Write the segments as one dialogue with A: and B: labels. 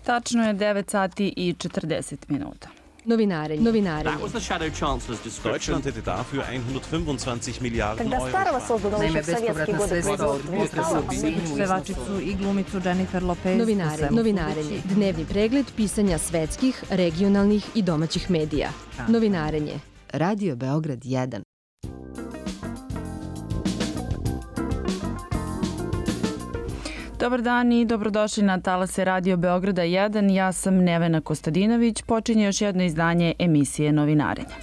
A: Tačno je 9 sati i 40 minuta.
B: Novinari.
C: Deutschland hätte dafür 125 Milliarden
D: Когда старого создано еще в советские годы производства не стало,
A: Pevačicu i glumicu Jennifer Lopez.
B: Novinarenje. Dnevni pregled pisanja svetskih, regionalnih i domaćih medija. Novinarenje. Radio Beograd 1.
A: Dobar dan i dobrodošli na talase Radio Beograda 1. Ja sam Nevena Kostadinović. Počinje još jedno izdanje emisije Novinarenja.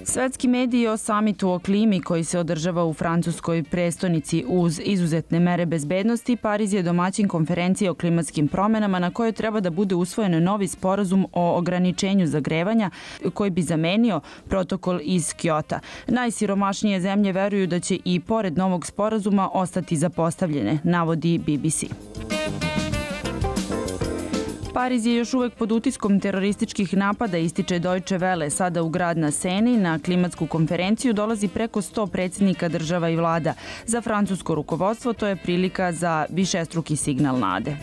A: Svetski mediji o samitu o klimi koji se održava u francuskoj prestonici uz izuzetne mere bezbednosti, Pariz je domaćin konferencije o klimatskim promenama na kojoj treba da bude usvojen novi sporazum o ograničenju zagrevanja koji bi zamenio protokol iz Kjota. Najsiromašnije zemlje veruju da će i pored novog sporazuma ostati zapostavljene, navodi BBC. Pariz je još uvek pod utiskom terorističkih napada, ističe Deutsche Welle. Sada u grad na Seni na klimatsku konferenciju dolazi preko 100 predsjednika država i vlada. Za francusko rukovodstvo to je prilika za višestruki signal nade.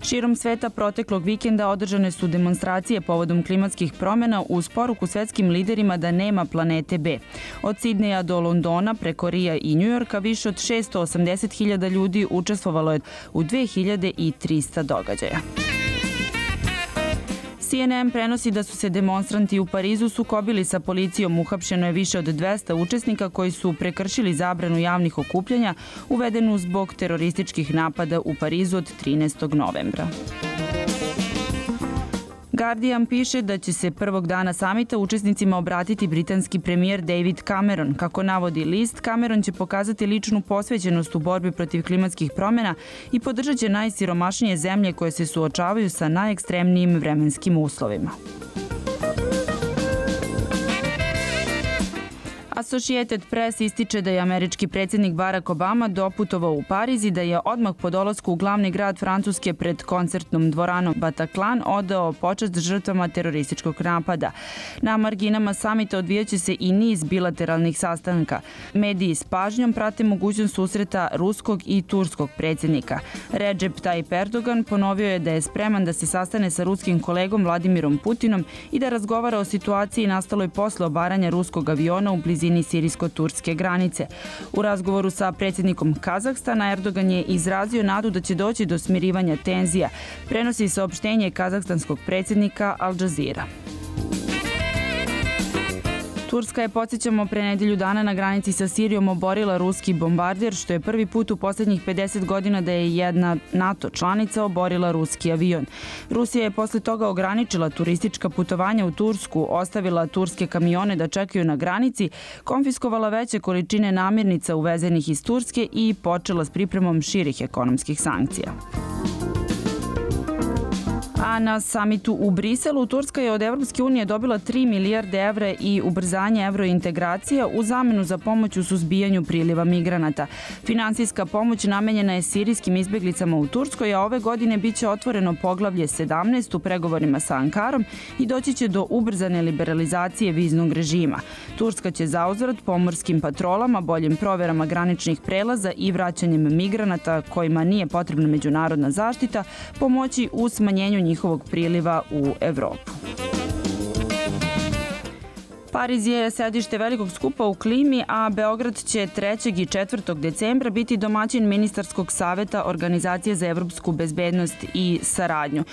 A: Širom sveta proteklog vikenda održane su demonstracije povodom klimatskih promjena uz poruku svetskim liderima da nema planete B. Od Sidneja do Londona, preko Rija i Njujorka, više od 680.000 ljudi učestvovalo je u 2300 događaja. CNN prenosi da su se demonstranti u Parizu sukobili sa policijom. Uhapšeno je više od 200 učesnika koji su prekršili zabranu javnih okupljanja uvedenu zbog terorističkih napada u Parizu od 13. novembra. Guardian piše da će se prvog dana samita učesnicima obratiti britanski premijer David Cameron. Kako navodi list, Cameron će pokazati ličnu posvećenost u borbi protiv klimatskih promjena i podržat će najsiromašnije zemlje koje se suočavaju sa najekstremnijim vremenskim uslovima. Associated Press ističe da je američki predsjednik Barack Obama doputovao u Pariz i da je odmah po dolasku u glavni grad Francuske pred koncertnom dvoranom Bataclan odao počast žrtvama terorističkog napada. Na marginama samita odvijaće se i niz bilateralnih sastanka. Mediji s pažnjom prate mogućnost susreta ruskog i turskog predsjednika. Recep Tayyip Erdogan ponovio je da je spreman da se sastane sa ruskim kolegom Vladimirom Putinom i da razgovara o situaciji nastaloj posle obaranja ruskog aviona u blizini sirijsko-turske granice. U razgovoru sa predsjednikom Kazahstana Erdogan je izrazio nadu da će doći do smirivanja tenzija. Prenosi saopštenje kazahstanskog predsjednika Al Jazeera. Turska je, podsjećamo, pre nedelju dana na granici sa Sirijom oborila ruski bombarder, što je prvi put u posljednjih 50 godina da je jedna NATO članica oborila ruski avion. Rusija je posle toga ograničila turistička putovanja u Tursku, ostavila turske kamione da čekaju na granici, konfiskovala veće količine namirnica uvezenih iz Turske i počela s pripremom širih ekonomskih sankcija. A na samitu u Briselu Turska je od Evropske unije dobila 3 milijarde evra i ubrzanje evrointegracija u zamenu za pomoć u suzbijanju priliva migranata. Finansijska pomoć namenjena je sirijskim izbjeglicama u Turskoj, a ove godine biće otvoreno poglavlje 17 u pregovorima sa Ankarom i doći će do ubrzane liberalizacije viznog režima. Turska će zauzvrat pomorskim patrolama, boljim proverama graničnih prelaza i vraćanjem migranata kojima nije potrebna međunarodna zaštita pomoći u smanjenju njihovog priliva u Evropu. Pariz je sedište velikog skupa u klimi, a Beograd će 3. i 4. decembra biti domaćin ministarskog saveta Organizacije za evropsku bezbednost i saradnju.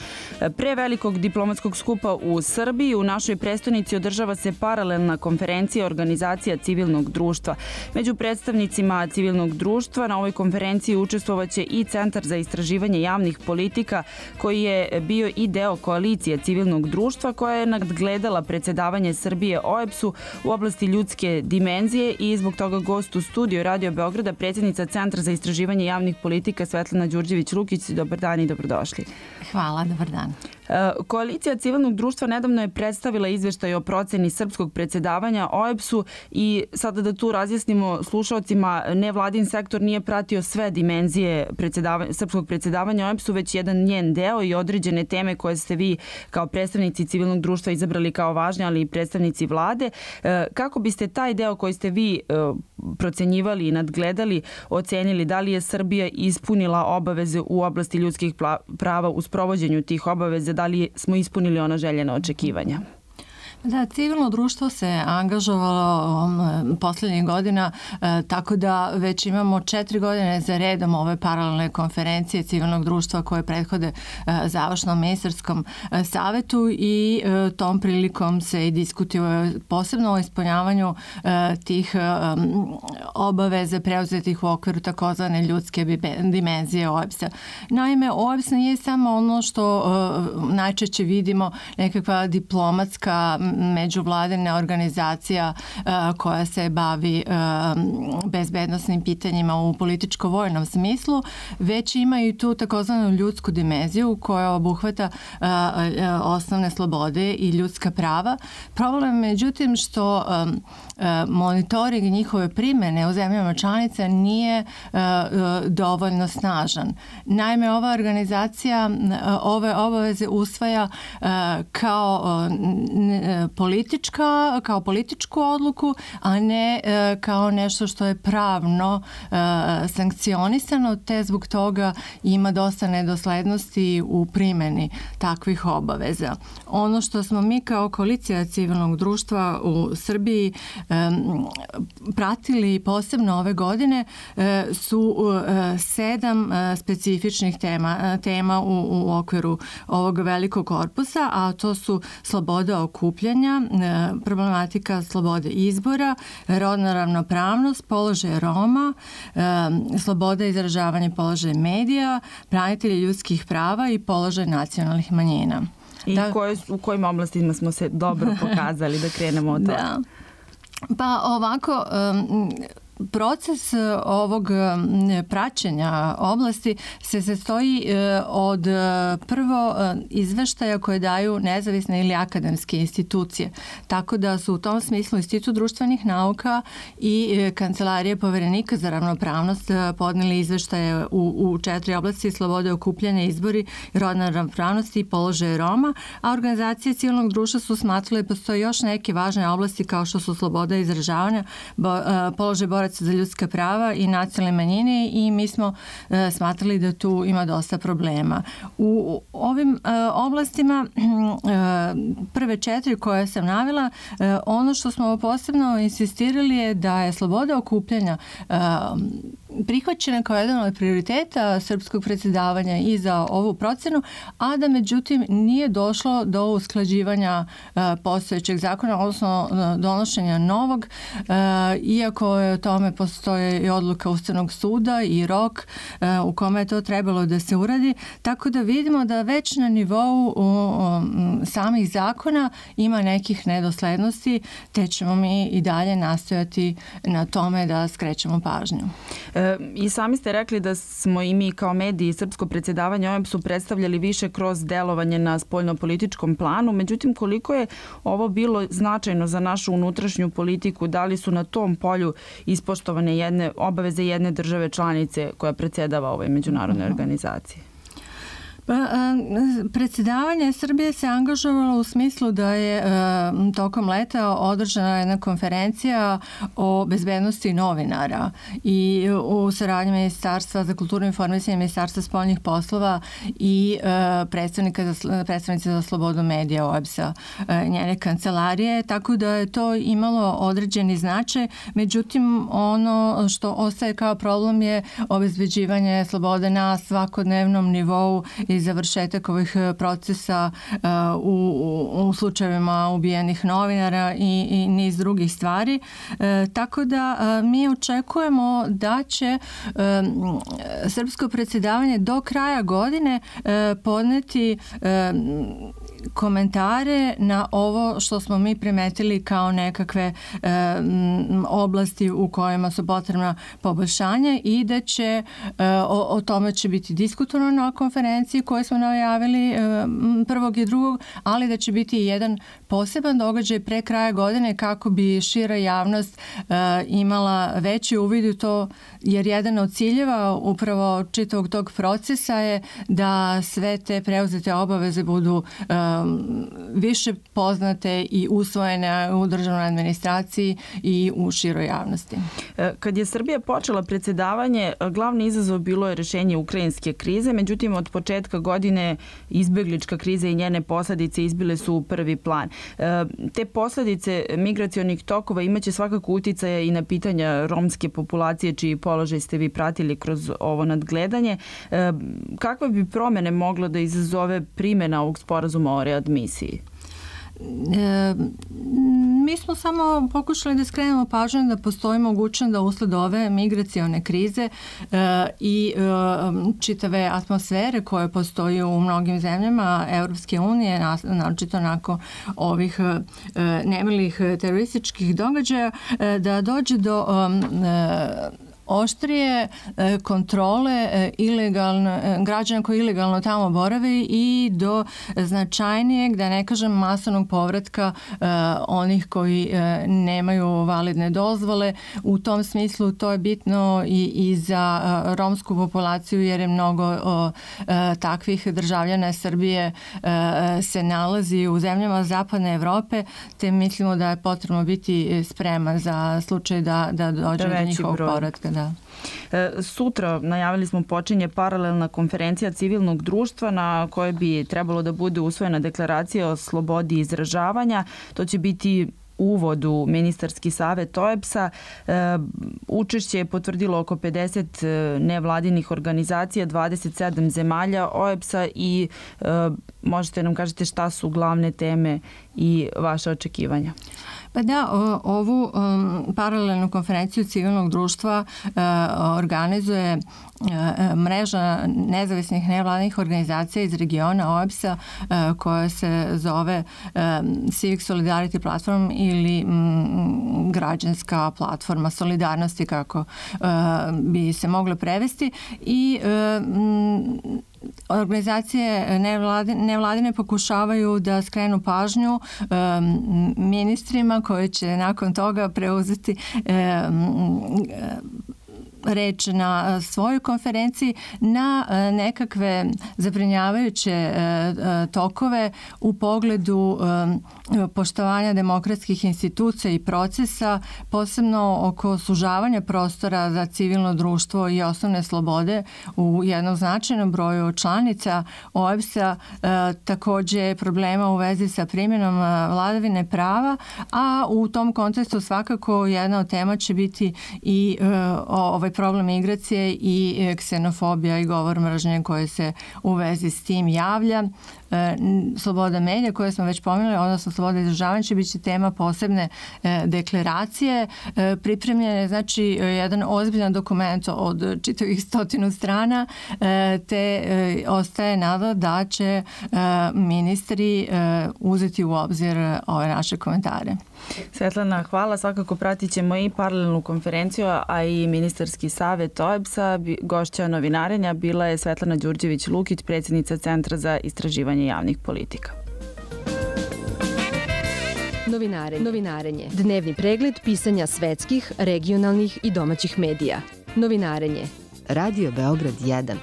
A: Pre velikog diplomatskog skupa u Srbiji u našoj prestonici održava se paralelna konferencija Organizacija civilnog društva. Među predstavnicima civilnog društva na ovoj konferenciji učestvovaće i Centar za istraživanje javnih politika koji je bio i deo koalicije civilnog društva koja je nadgledala predsjedavanje Srbije OEBS-u u oblasti ljudske dimenzije i zbog toga gost u studiju Radio Beograda, predsjednica Centra za istraživanje javnih politika Svetlana Đurđević-Lukić. Dobar dan i dobrodošli.
E: Hvala, dobar dan.
A: Koalicija civilnog društva nedavno je predstavila izveštaj o proceni srpskog predsjedavanja OEBS-u i sada da tu razjasnimo slušalcima, nevladin sektor nije pratio sve dimenzije srpskog predsjedavanja OEBS-u, već jedan njen deo i određene teme koje ste vi kao predstavnici civilnog društva izabrali kao važne, ali i predstavnici vlade. slobode. Kako biste taj deo koji ste vi procenjivali i nadgledali, ocenili da li je Srbija ispunila obaveze u oblasti ljudskih prava u sprovođenju tih obaveza, da li smo ispunili ona željena očekivanja?
E: Da, civilno društvo se angažovalo poslednjih godina, tako da već imamo 4 godine za redom ove paralelne konferencije civilnog društva koje prethode završnom ministarskom savetu i tom prilikom se i diskutuje posebno o ispunjavanju tih obaveze preuzetih u okviru takozvane ljudske dimenzije OEBS-a. Naime, OEBS nije samo ono što najčešće vidimo, nekakva diplomatska međuvladina organizacija koja se bavi bezbednosnim pitanjima u političko-vojnom smislu, već ima i tu takozvanu ljudsku dimenziju koja obuhvata osnovne slobode i ljudska prava. Problem je međutim što monitoring njihove primene u zemljama članica nije dovoljno snažan. Naime, ova organizacija ove obaveze usvaja kao političku odluku, a ne kao nešto što je pravno sankcionisano, te zbog toga ima dosta nedoslednosti u primjeni takvih obaveza. Ono što smo mi kao koalicija civilnog društva u Srbiji pratili posebno ove godine su 7 specifičnih tema u okviru ovog velikog korpusa, a to su sloboda okupljanja, problematika slobode izbora, rodna ravnopravnost, položaj Roma, sloboda izražavanja i položaj medija, branitelji ljudskih prava i položaj nacionalnih manjina.
A: I u kojim oblastima smo se dobro pokazali da krenemo od toga?
E: Da. Pa ovako, proces ovog praćenja oblasti se sastoji od prvo izveštaja koje daju nezavisne ili akademske institucije. Tako da su u tom smislu Institut društvenih nauka i Kancelarije poverenika za ravnopravnost podneli izveštaje u 4 oblasti: slobode okupljanja, izbori, rodna ravnopravnost i položaj Roma, a organizacije civilnog društva su smatrale da postoje još neke važne oblasti kao što su sloboda izražavanja, položaj boraca za ljudska prava i nacionalne manjine, i mi smo smatrali da tu ima dosta problema. U ovim oblastima, prve 4 koje sam navela, ono što smo posebno insistirali je da je sloboda okupljanja prihvaćena kao jedan od prioriteta srpskog predsjedavanja i za ovu procenu, a da međutim nije došlo do usklađivanja postojećeg zakona, odnosno donošenja novog, iako je o tome postoje i odluka Ustavnog suda i rok u kome je to trebalo da se uradi, tako da vidimo da već na nivou samih zakona ima nekih nedoslednosti, te ćemo mi i dalje nastojati na tome da skrećemo pažnju.
A: I sami ste rekli da smo i mi kao mediji srpsko predsjedavanje OEBS-u predstavljali više kroz delovanje na spoljnopolitičkom planu. Međutim, koliko je ovo bilo značajno za našu unutrašnju politiku? Da li su na tom polju ispoštovane obaveze jedne države članice koja predsjedava ovoj međunarodnoj organizaciji?
E: Predsjedavanje Srbije se angažovalo u smislu da je tokom leta održana jedna konferencija o bezbednosti novinara i u saradnji Ministarstva za kulturu i informisanje, Ministarstva spoljnih poslova i predstavnice za slobodu medija OEBS-a, njene kancelarije, tako da je to imalo određeni značaj. Međutim, ono što ostaje kao problem je obezbeđivanje slobode na svakodnevnom nivou i završetak ovih procesa u slučajevima ubijenih novinara i niz drugih stvari. Tako da mi očekujemo da će srpsko predsjedavanje do kraja godine podneti komentare na ovo što smo mi primetili kao nekakve oblasti u kojima su potrebna poboljšanja i da će o tome će biti diskutovano na konferenciji koje smo najavili prvog i drugog, ali da će biti jedan poseban događaj pre kraja godine kako bi šira javnost imala veći uvid u to, jer jedan od ciljeva upravo čitavog tog procesa je da sve te preuzete obaveze budu više poznate i usvojene u državnoj administraciji i u široj javnosti.
A: Kad je Srbija počela predsjedavanje, glavni izazov bilo je rešenje ukrajinske krize, međutim od početka godine izbeglička kriza i njene posledice izbile su u prvi plan. Te posledice migracionih tokova imaće svakako uticaja i na pitanja romske populacije, čiji položaj ste vi pratili kroz ovo nadgledanje. Kakve bi promene moglo da izazove primjena ovog sporazuma o readmisiji?
E: Mi smo samo pokušali da skrenemo pažnju da postoji mogućnost da usled ove migracione krize i čitave atmosfere koje postoji u mnogim zemljama Evropske unije, naročito nakon ovih nemilih terorističkih događaja, da dođe do oštrije kontrole građana koji ilegalno tamo borave i do značajnijeg, da ne kažem masovnog povratka onih koji nemaju validne dozvole. U tom smislu to je bitno i za romsku populaciju, jer je mnogo takvih državljana Srbije se nalazi u zemljama zapadne Evrope, te mislimo da je potrebno biti spreman za slučaj da dođe do njihovog povratka. Da.
A: Sutra, najavili smo, počinje paralelna konferencija civilnog društva na kojoj bi trebalo da bude usvojena deklaracija o slobodi izražavanja. To će biti uvod u ministarski savet OEBS-a. Učešće je potvrdilo oko 50 nevladinih organizacija, 27 zemalja OEBS-a i možete nam kažete šta su glavne teme i vaše očekivanja?
E: Pa da, ovu paralelnu konferenciju civilnog društva organizuje mreža nezavisnih nevladnih organizacija iz regiona OEBS-a koja se zove Civic Solidarity Platform ili građanska platforma solidarnosti, kako bi se moglo prevesti, i organizacije nevladine pokušavaju da skrenu pažnju ministrima koji će nakon toga preuzeti reč na svojoj konferenciji na nekakve zabrinjavajuće tokove u pogledu poštovanja demokratskih institucija i procesa, posebno oko sužavanja prostora za civilno društvo i osnovne slobode u jednom značajnom broju članica OEBS-a, takođe problema u vezi sa primjenom vladavine prava, a u tom kontekstu svakako jedna od tema će biti i ovaj problem migracije i ksenofobija i govor mržnje koje se u vezi s tim javlja. Sloboda medija koje smo već pominjali, odnosno sloboda izražavanja, će biti tema posebne deklaracije. Pripremljen je znači jedan ozbiljan dokument od čitavih 100 strana, te ostaje nada da će ministri uzeti u obzir ove naše komentare.
A: Svetlana, hvala. Svakako pratit ćemo i paralelnu konferenciju, a i ministarski savet OEBS-a. Gošća novinarenja bila je Svetlana Đurđević-Lukić, predsjednica Centra za istraživanje javnih politika.
B: Novinarenje. Dnevni pregled pisanja svetskih, regionalnih i domaćih medija. Novinarenje. Radio Beograd 1.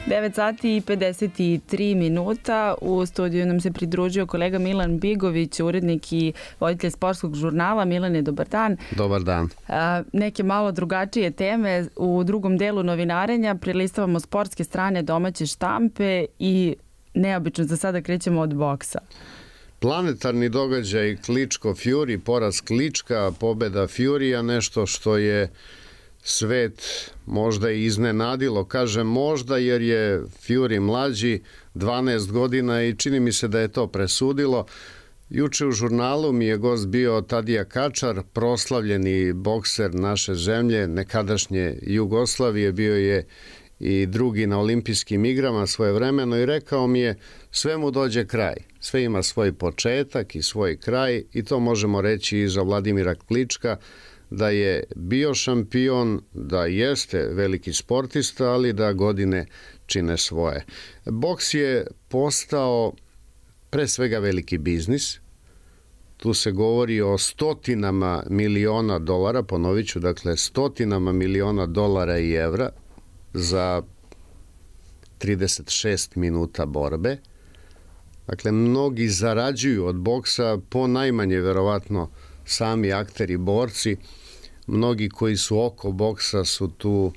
A: 9 sati i 53 minuta. U studiju nam se pridružio kolega Milan Bigović, urednik i voditelj sportskog žurnala. Milane, dobar dan.
F: Dobar dan.
A: Neke malo drugačije teme. U drugom delu novinarenja prelistavamo sportske strane domaće štampe i neobično za sada krećemo od boksa.
F: Planetarni događaj Kličko-Fury, poraz Klička, pobeda Furya, nešto što je svet možda i iznenadilo. Kažem možda jer je Fury mlađi, 12 godina, i čini mi se da je to presudilo. Juče u žurnalu mi je gost bio Tadija Kačar, proslavljeni bokser naše zemlje, nekadašnje Jugoslavije, bio je i drugi na olimpijskim igrama svojevremeno, i rekao mi je sve mu dođe kraj. Sve ima svoj početak i svoj kraj, i to možemo reći i za Vladimira Klička, da je bio šampion, da jeste veliki sportista, ali da godine čine svoje. Boks je postao pre svega veliki biznis. Tu se govori o stotinama miliona dolara, ponovit ću, dakle stotinama miliona dolara i evra za 36 minuta borbe. Dakle, mnogi zarađuju od boksa, po najmanje verovatno sami akteri, borci. Mnogi koji su oko boksa su tu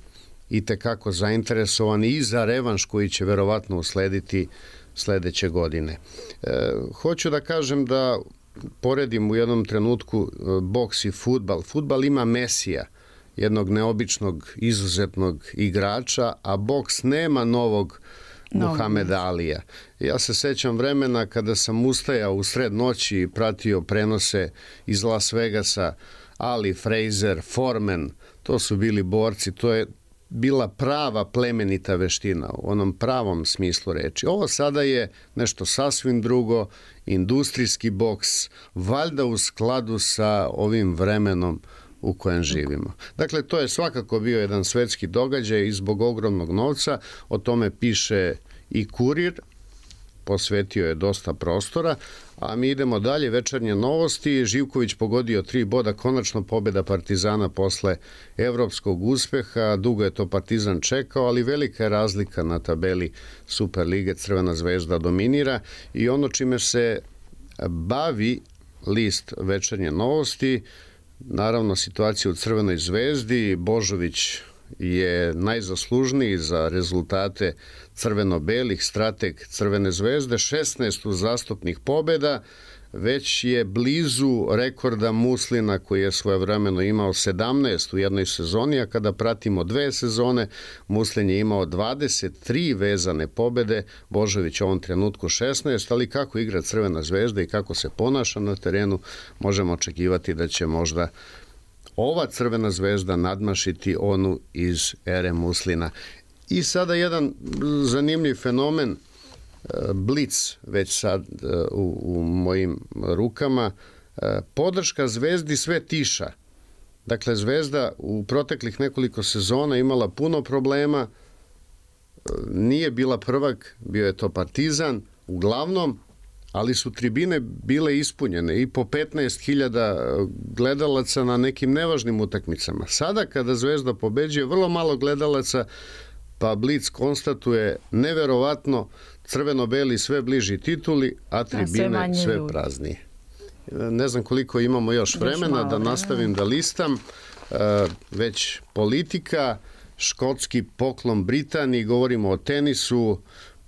F: i tekako zainteresovani i za revanš koji će verovatno uslediti sledeće godine. Hoću da kažem da poredim u jednom trenutku boks i fudbal. Fudbal ima Mesija, jednog neobičnog, izuzetnog igrača, a boks nema novog Muhameda Alija. Ja se sećam vremena kada sam ustajao u sred noći i pratio prenose iz Las Vegasa, Ali, Frazier, Foreman, to su bili borci, to je bila prava plemenita veština u onom pravom smislu reči. Ovo sada je nešto sasvim drugo, industrijski boks, valjda u skladu sa ovim vremenom u kojem živimo. Dakle, to je svakako bio jedan svetski događaj i zbog ogromnog novca, o tome piše i Kurir, posvetio je dosta prostora, a mi idemo dalje, večernje novosti. Živković pogodio 3 boda, konačno pobjeda Partizana posle evropskog uspeha. Dugo je to Partizan čekao, ali velika je razlika na tabeli Superlige. Crvena zvezda dominira i ono čime se bavi list večernje novosti, naravno situacija u Crvenoj zvezdi. Božović je najzaslužniji za rezultate crveno-belih, strateg Crvene zvezde, 16 uzastopnih pobjeda, već je blizu rekorda Muslina koji je svojevremeno imao 17 u jednoj sezoni, a kada pratimo 2 sezone, Muslin je imao 23 vezane pobjede, Božović u ovom trenutku 16, ali kako igra Crvena zvezda i kako se ponaša na terenu, možemo očekivati da će možda ova Crvena zvezda nadmašiti onu iz ere Muslina. I sada jedan zanimljiv fenomen, Blic već sad u mojim rukama, podrška zvezdi sve tiša. Dakle, zvezda u proteklih nekoliko sezona imala puno problema, nije bila prvak, bio je to Partizan, uglavnom, ali su tribine bile ispunjene i po 15.000 gledalaca na nekim nevažnim utakmicama. Sada kada Zvezda pobeđuje, vrlo malo gledalaca, pa Blic konstatuje neverovatno, crveno-beli sve bliži tituli, a tribine sve praznije. Ne znam koliko imamo još vremena da nastavim da listam. Već politika, škotski poklon Britaniji, govorimo o tenisu.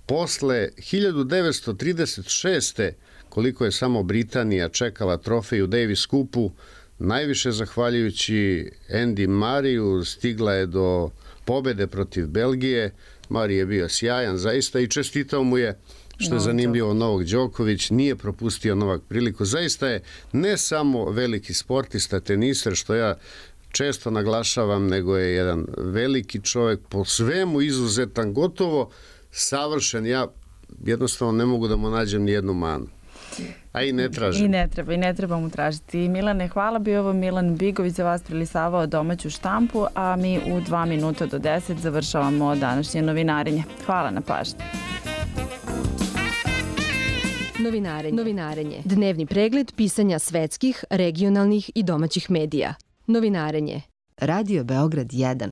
F: Posle 1936. koliko je samo Britanija čekala trofej u Davis Cupu, najviše zahvaljujući Andy Murrayu stigla je do pobede protiv Belgije. Murray je bio sjajan zaista i čestitao mu je, što je zanimljivo, Novak Đoković, nije propustio Novak priliku. Zaista je ne samo veliki sportista, teniser, što ja često naglašavam, nego je jedan veliki čovjek, po svemu izuzetan, gotovo savršen. Ja jednostavno ne mogu da mu nađem ni jednu manu. A i ne tražim.
A: I ne treba mu tražiti. Milane, hvala, bio ovo Milan Bigović za vas prelisavao domaću štampu, a mi u 2 minuta do 10 završavamo današnje novinarenje. Hvala na pažnji.
B: Novinarenje. Dnevni pregled pisanja svetskih, regionalnih i domaćih medija. Novinarenje. Radio Beograd 1.